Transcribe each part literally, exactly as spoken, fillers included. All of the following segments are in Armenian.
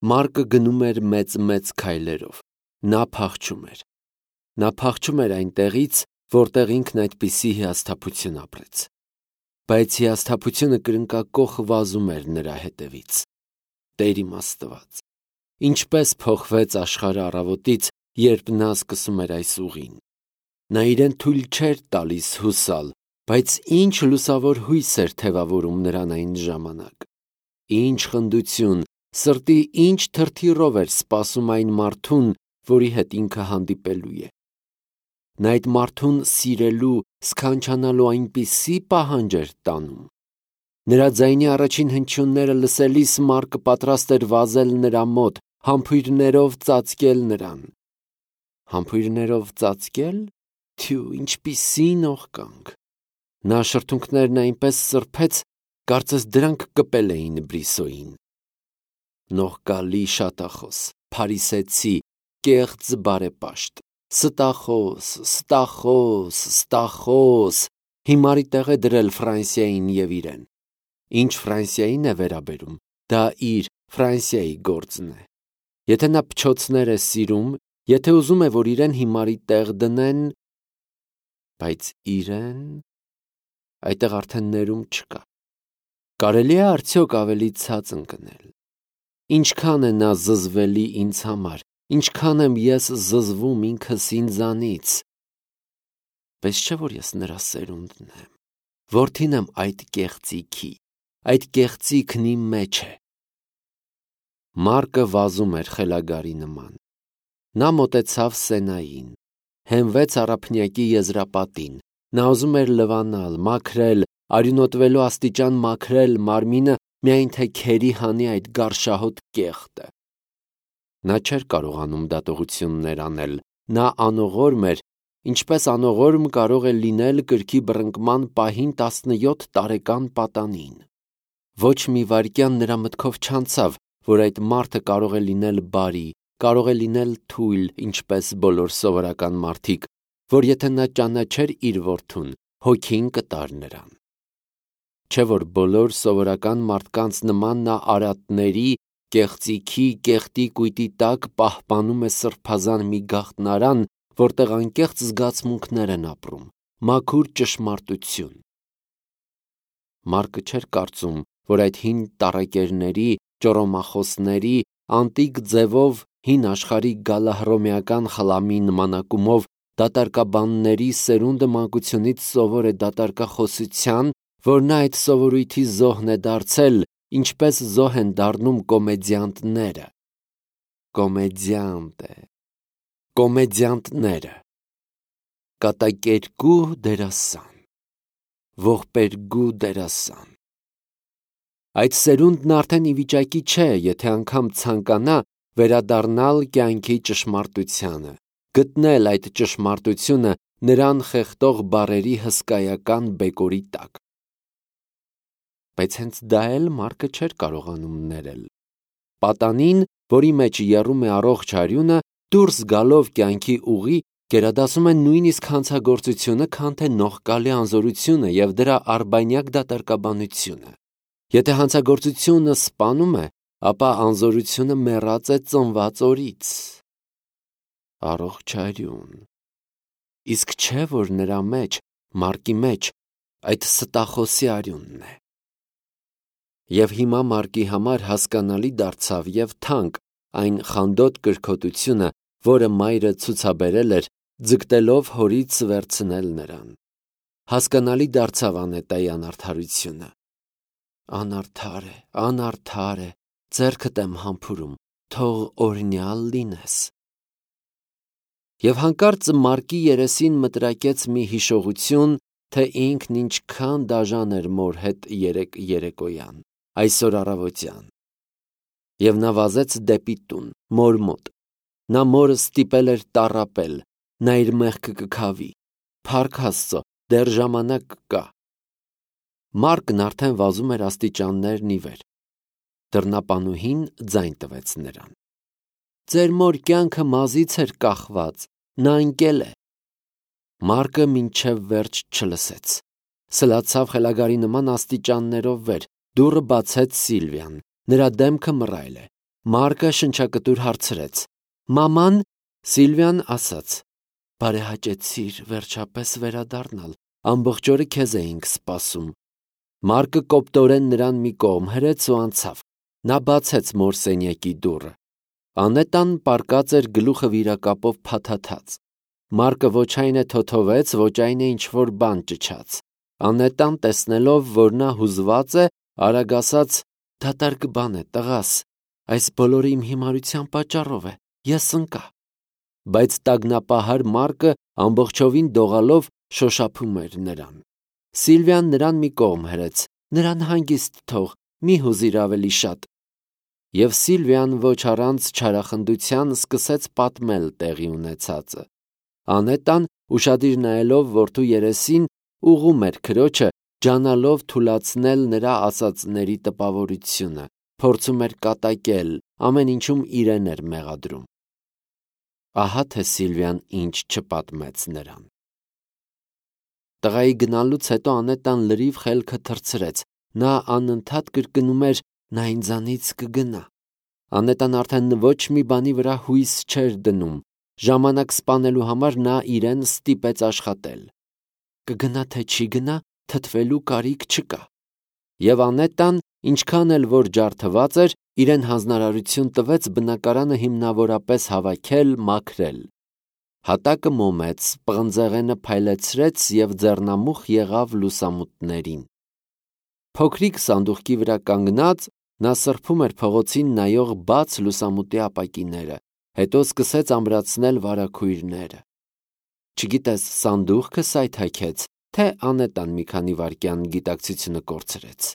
Մարկը գնում էր մեծ-մեծ քայլերով, նա փախչում էր, նա փախչում էր այնտեղից, որտեղ ինքն այդպիսի հիասթափություն ապրեց, բայց հիասթափությունը կրնկակոխ վազում էր նրա հետևից։ Տեր իմ Աստված, ինչպես փոխվեց աշխարհը առավոտից, երբ նա սկսում էր այս ուղին։ Նա իրեն թույլ չէր տալիս հուսալ, բայց ինչ լուսավոր հույս էր թևավորում նրան այն ժամանակ։ Ինչ խնդություն, սրտի ինչ թրթիռով էր սպասում այն մարդուն, որի հետ ինքը հանդիպելու է։ Նա այդ մարդուն սիրելու, սքանչանալու այնպիսի պահանջ էր տանում։ Նրա ձայնի առաջին հնչյունները լսելիս Մարկը պատրաստ էր վազել նրա մոտ, համբույրներով ծածկել նրան։ Համբույրներով ծածկել։ Թյու, ինչպիսի նողկանք։ Նա շրթունքներն այնպես սրբեց, կարծես դրանք կպել էին Բրիսոյին։ Նողկալի շատախոս, փարիսեցի, կեղծ բարեպաշտ, ստախոս, ստախոս, ստախոս, հիմարի տեղ է դրել Ֆրանսիային և իրեն։ Ինչ Ֆրանսիային է վերաբերում, դա իր Ֆրանսիայի գործն է։ Եթե նա փչոցներ է սիրում, եթե ուզում է, որ իրեն հիմարի տեղ դնեն, բայց իրեն այդտեղ արդեն ներում չկա։ Կարելի է արդյոք ավելի ցած ընկնել։ Ինչքան է նա զզվելի ինձ համար, ինչքան եմ ես զզվում ինքս ինձանից։ Պես չէ, որ ես նրա սերունդն եմ, որդին եմ այդ կեղծիքի, այդ կեղծիքն իմ մեջ է։ Մարկը վազում էր խելագարի նման։ Նա մոտեցավ Սենային, հենվեց առափնյակի եզրապատին, նա ուզում էր լվանալ, մաքրել, արյունոտվելու աստիճան մաքրել մարմինը, միայն թե քերի հանի այդ գարշահոտ կեղտը։ Նա չէր կարողանում դատողություններ անել, նա անողորմ էր, ինչպես անողորմ կարող է լինել կրքի բռնկման պահին տասնյոթ տարեկան պատանին։ Ոչ մի վայրկյան նրա մտքով չանցավ, որ այդ մարդը կարող է լինել բարի, կարող է լինել թույլ, ինչպես բոլոր սովորական մարդիկ, որ եթե նա ճանաչեր իր որդուն, հոգին կտար նրան։ Չէ՞ որ բոլոր սովորական մարդկանց նման նա արատների, կեղծիքի, կեղտի կույտի տակ պահպանում է սրբազան մի գաղտնարան, որտեղ անկեղծ զգացմունքներ են ապրում, մաքուր ճշմարտություն։ Մարկը չէր կարծում, որ այդ հին տառակերների, ճոռոմախոսների, անտիկ ձևով հին աշխարհի գալահռոմեական խլամի նմանակումով դատարկաբանների սերունդը մանկությունից սովոր է դատարկախոսության, որ նա այդ սովորույթի զոհն է դարձել, ինչպես զոհ են դառնում կոմեդիանտները։ Կոմեդիանտ է։ Կոմեդիանտները։ Կատակերգու դերասան։ Ողբերգու դերասան։ Այդ սերունդն արդեն ի վիճակի չէ, եթե անգամ ցանկանա, վերադառնալ կյանքի ճշմարտությանը, գտնել այդ ճշմարտությունը նրան խեղդող բառերի հսկայական բեկորի տակ։ Բայց հենց դա էլ Մարկը չէր կարողանում ներել։ Պատանին, որի մեջ եռում է առողջ արյունը, դուրս գալով կյանքի ուղի, գերադասում է նույնիսկ հանցագործությունը, քան թե նողկալի անզորությունը և դրա արբանյակ դատարկաբանությունը։ Եթե հանցագործությունը սպանում է, ապա անզորությունը մեռած է ծնված օրից։ Առողջ արյուն։ Իսկ չէ, որ նրա մեջ, Մարկի մեջ, այդ ստախոսի արյունն է։ Եվ հիմա Մարկի համար հասկանալի դարձավ և թանկ այն խանդոտ կրքոտությունը, որը մայրը ցուցաբերել էր, ձգտելով հորից վերցնել նրան։ Հասկանալի դարձավ Անետայի անարդարությունը։ Անարդար է, անարդար է, ձեռքդ եմ համբուրում, թող օրհնյալ լինես։ Եվ հանկարծ Մարկի երեսին մտրակեց մի հիշողություն, թե ինքն ինչքան դաժան էր մոր հետ երեկ երեկոյան, այսօր առավոտյան։ Եվ նա վազեց դեպի տուն, մոր մոտ։ Նա մորը ստիպել էր տառապել, նա իր մեղքը կքավի։ Փառք Աստծո, դեռ ժամանակ կա։ Մարկն արդեն վազում էր աստիճաններն ի վեր։ Դռնապանուհին ձայն տվեց նրան։ Ձեր մոր կյանքը մազից էր կախված, նա ընկել է։ Մարկը մինչև վերջ չլսեց։ Սլացավ խելագարի նման աստիճաններով վեր, դուռը բացեց Սիլվիան, նրա դեմքը մռայլ է։ Մարկը շնչակտուր հարցրեց. «Մաման», Սիլվիան ասաց. «Բարեհաճեցիր վերջապես վերադառնալ, ամբողջ օրը քեզ էինք սպասում»։ Մարկը կոպտորեն նրան մի կողմ հրեց ու անցավ։ Նա բացեց մոր սենյակի դուռը։ Անետան պառկած էր գլուխը վիրակապով փաթաթած։ Մարկը ոչ այն է թոթովեց, ոչ այն է ինչ-որ բան ճչաց։ Անետան տեսնելով, որ նա հուզված է, արագ ասաց. «Դատարկ բան է, տղաս, այս բոլորը իմ հիմարության պատճառով է, ես ընկա»։ Բայց տագնապահար Մարկը ամբողջովին դողալով շոշափում էր նրան։ Սիլվիան նրան մի կողմ հրեց. «Նրան հանգիստ թող, մի հուզիր ավելի շատ»։ Եվ Սիլվիան ոչ առանց չարախնդության սկսեց պատմել տեղի ունեցածը։ Անետան, ուշադիր նայելով որդու երեսին, ուղղում էր քրոջը, ջանալով թուլացնել նրա ասածների տպավորությունը, փորձում էր կատակել, ամեն ինչում իրեն էր մեղադրում։ Ահա թե Սիլվիան ինչ չպատմեց նրան։ Տղայի գնալուց հետո Անետան լրիվ խելքը թռցրեց։ Նա անընդհատ կրկնում էր. «Նա ինձանից կգնա»։ Անետան արդեն ոչ մի բանի վրա հույս չէր դնում։ Ժամանակ սպանելու համար նա իրեն ստիպեց աշխատել։ Կգնա թե չի գնա, թթվելու կարիք չկա։ Եվ Անետան, ինչքան էլ որ ջարդված էր, իրեն հանձնարարություն տվեց բնակարանը հիմնավորապես հավաքել, մաքրել։ Հատակը մոմեց, պղնձեղենը փայլեցրեց և ձեռնամուխ եղավ լուսամուտներին։ Փոքրիկ սանդուղքի վրա կանգնած, նա սրբում էր փողոցին նայող բաց լուսամուտի ապակիները, հետո սկսեց ամրացնել վարագույրները։ Չգիտես, սանդուղքը սայթաքեց, թե Անետան մի քանի վայրկյան գիտակցությունը կորցրեց։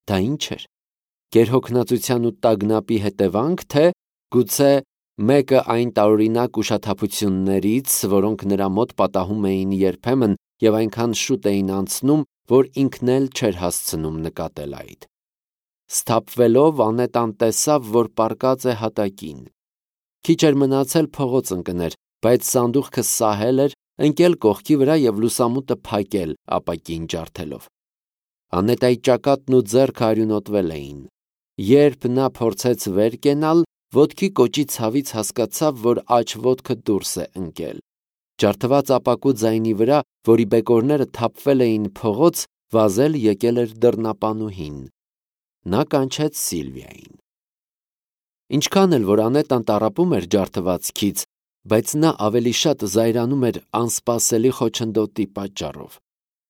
Դա ինչ էր։ Գերհոգնածության ու տագնապի հետևանք, թե գուցե մեկը այն տարօրինակ ուշաթափություններից, որոնք նրա մոտ պատահում էին երբեմն և այնքան շուտ էին անցնում, որ ինքն էլ չէր հասցնում նկատել այդ։ Սթափվելով Անետան տեսավ, որ պառկած է հատակին։ Քիչ էր մնացել փողոց ընկներ, բայց սանդուղքը սահել էր, ընկել կողքի վրա և լուսամուտը փակել ապակին ջարդելով։ Անետայի ճակատն ու ձեռքը արյունոտվել էին։ Երբ նա փորձեց վեր կենալ, ոտքի կոճի ցավից հասկացավ, որ աջ ոտքը դուրս է ընկել։ Ջարդված ապակու ձայնի վրա, որի բեկորները թափվել էին փողոց, վազել եկել էր դռնապանուհին։ Նա կանչեց Սիլվիային։ Ինչքան էլ որ Անետան տառապում էր ջարդվածքից, բայց նա ավելի շատ զայրանում էր անսպասելի խոչընդոտի պատճառով։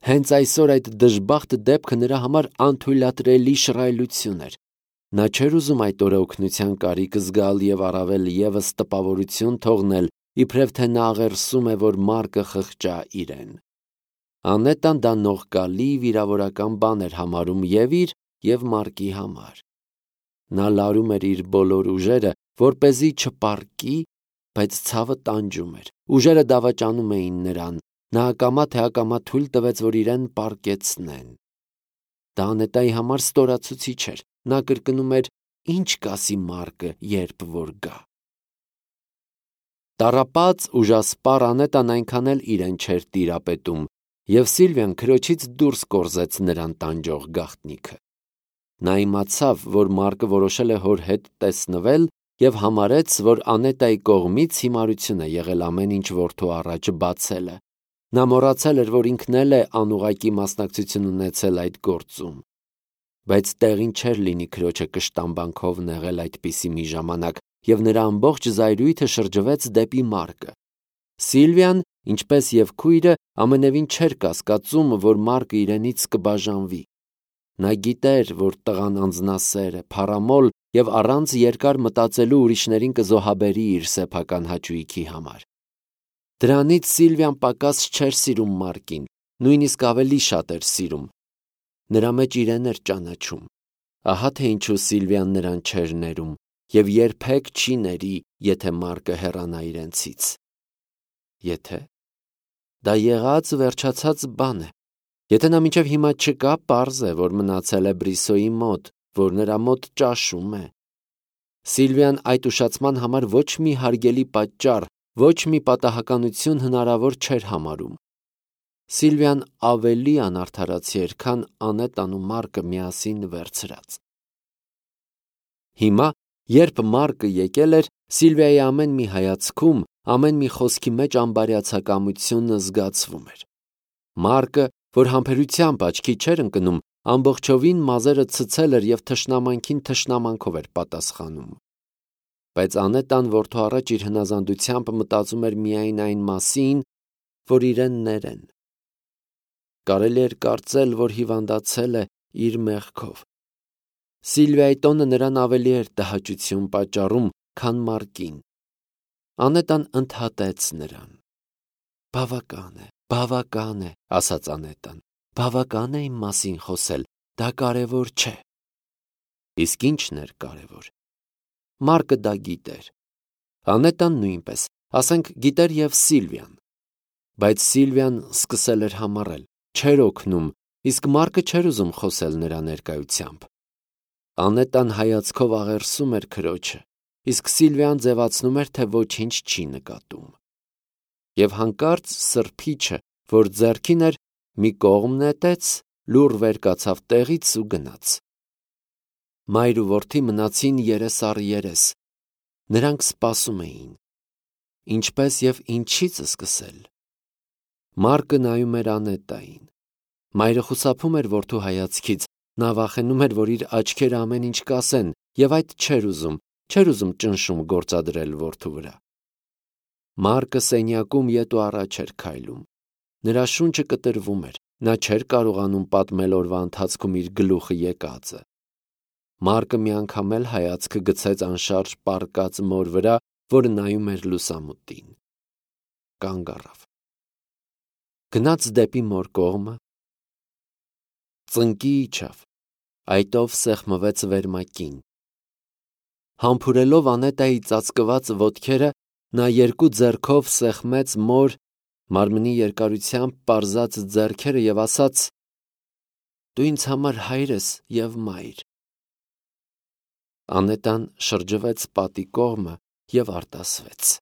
Հենց այսօր այդ դժբախտ դեպքը նրա համար անթույլատրելի շռայլություն էր։ Նա չէր ուզում այդ օրը օգնության կարիք զգալ և առավել ևս տպավորություն թողնել, իբրև թե նա աղերսում է, որ Մարկը խղճա իրեն։ Անետան դա նողկալի վիրավորական բան էր համարում և իր, և Մարկի համար։ Նա լարում էր իր բոլոր ուժերը, որպեսզի չպառկի, բայց ցավը տանջում էր։ Ուժերը դավաճանում էին նրան։ Նա ակամա թե ակամա թույլ տվեց, որ իրեն պառկեցնեն։ Դա Անետայի համար ստորացուցիչ էր։ Նա կրկնում էր. «Ինչ կասի Մարկը, երբ որ գա»։ Տառապած, ուժասպառ Անետան այնքան էլ իրեն չէր տիրապետում, և Սիլվիան քրոջից դուրս կորզեց նրան տանջող գաղտնիքը։ Նա իմացավ, որ Մարկը որոշել է հոր հետ տեսնվել և համարեց, որ Անետայի կողմից հիմարություն է եղել ամեն ինչ որդու առաջ բացելը։ Նա մոռացել էր, որ ինքն էլ է անուղղակի մասնակցություն ունեցել այդ գործում։ Բայց տեղին չէր լինի քրոջը կշտամբանքով նեղել այդպիսի մի ժամանակ, և նրա ամբողջ զայրույթը շրջվեց դեպի Մարկը։ Սիլվիան, ինչպես և քույրը, ամենևին չէր կասկածում, որ Մարկը իրենից կբաժանվի։ Նա գիտեր, որ տղան անձնասեր է, փառամոլ և առանց երկար մտածելու ուրիշներին կզոհաբերի իր սեփական հաճույքի համար։ Դրանից Սիլվիան պակաս չէր սիրում Մարկին, նույնիսկ ավելի շատ էր սիրում։ Նրա մեջ իրեն էր ճանաչում։ Ահա թե ինչու Սիլվիան նրան չէր ներում և երբեք չի ների, եթե Մարկը հեռանա իրենցից։ Եթե… Դա եղած վերջացած բան է։ Եթե նա մինչև հիմա չկա, պարզ է, որ մնացել է Բրիսոյի մոտ, որ նրա մոտ ճաշում է։ Սիլվիան այդ ուշացման համար ոչ մի հարգելի պատճառ, ոչ մի պատահականություն հնարավոր չէր համարում։ Սիլվիան ավելի անարդարացի էր, քան Անետան ու Մարկը միասին վերցրած։ Հիմա, Երբ Մարկը եկել էր, Սիլվիայի ամեն մի հայացքում, ամեն մի խոսքի մեջ ամբարյացակամությունը զգացվում էր։ Մարկը, որ համբերությամբ աչքի չէր ընկնում, ամբողջովին մազերը ցցել էր և թշնամանքին թշնամանքով էր պատասխանում։ Բայց Անետան որդու առաջ իր հնազանդությամբ մտածում էր միայն այն մասին, որ իրեն ներեն։ Կարելի էր կարծել, որ հիվանդացել է իր մեղքով։ Սիլվիայի տոնը նրան ավելի էր տհաճություն պատճառում, քան Մարկին։ Անետան ընդհատեց նրան։ Բավական է, բավական է, ասաց Անետան, բավական է իմ մասին խոսել, դա կարևոր չէ։ Իսկ ի՞նչն էր կարևոր։ Մարկը դա գիտեր։ Անետան նույնպես, ասենք գիտեր և Սիլվիան։ Բայց Սիլվիան սկսել էր համառել, չէր օգնում, իսկ Մարկը չէր ուզում խոսել նրա ներկայությամբ։ Անետան հայացքով աղերսում էր քրոջը, իսկ Սիլվիան ձևացնում էր, թե ոչինչ չի նկատում։ Եվ հանկարծ սրբիչը, որ ձեռքին էր, մի կողմ նետեց, լուռ վեր կացավ տեղից ու գնաց։ Մայր ու որդի մնացին երես առ երես։ Նրանք սպասում էին։ Ինչպես և ինչից սկսել։ Մարկը նայում էր Անետային։ Մայրը խուսափում էր որդու հայացքից, նա վախենում էր, որ իր աչքերը ամեն ինչ կասեն, և այդ չէր ուզում, չէր ուզում ճնշում գործադրել որդու վրա։ Մարկը սենյակում ետ ու առաջ էր քայլում։ Նրա շունչը կտրվում էր, նա չէր կարողանում պատմել օրվա ընթացքում իր գլուխը եկածը։ Մարկը մի անգամ էլ հայացքը գցեց անշարժ պառկած մոր վրա, որը նայում էր լուսամուտին։ Կանգ առավ։ Գնաց դեպի մոր կողմը, ծնկի իջավ, այտով սեղմվեց վերմակին։ Համբուրելով Անետայի ծածկված ոտքերը, նա երկու ձեռքով սեղմեց մոր մարմնի երկարությամբ պարզած ձեռքերը և ասաց. «Դու ինձ համար հայր ես և մայր»։ Անետան շրջվեց պատի կողմը և արտասվեց։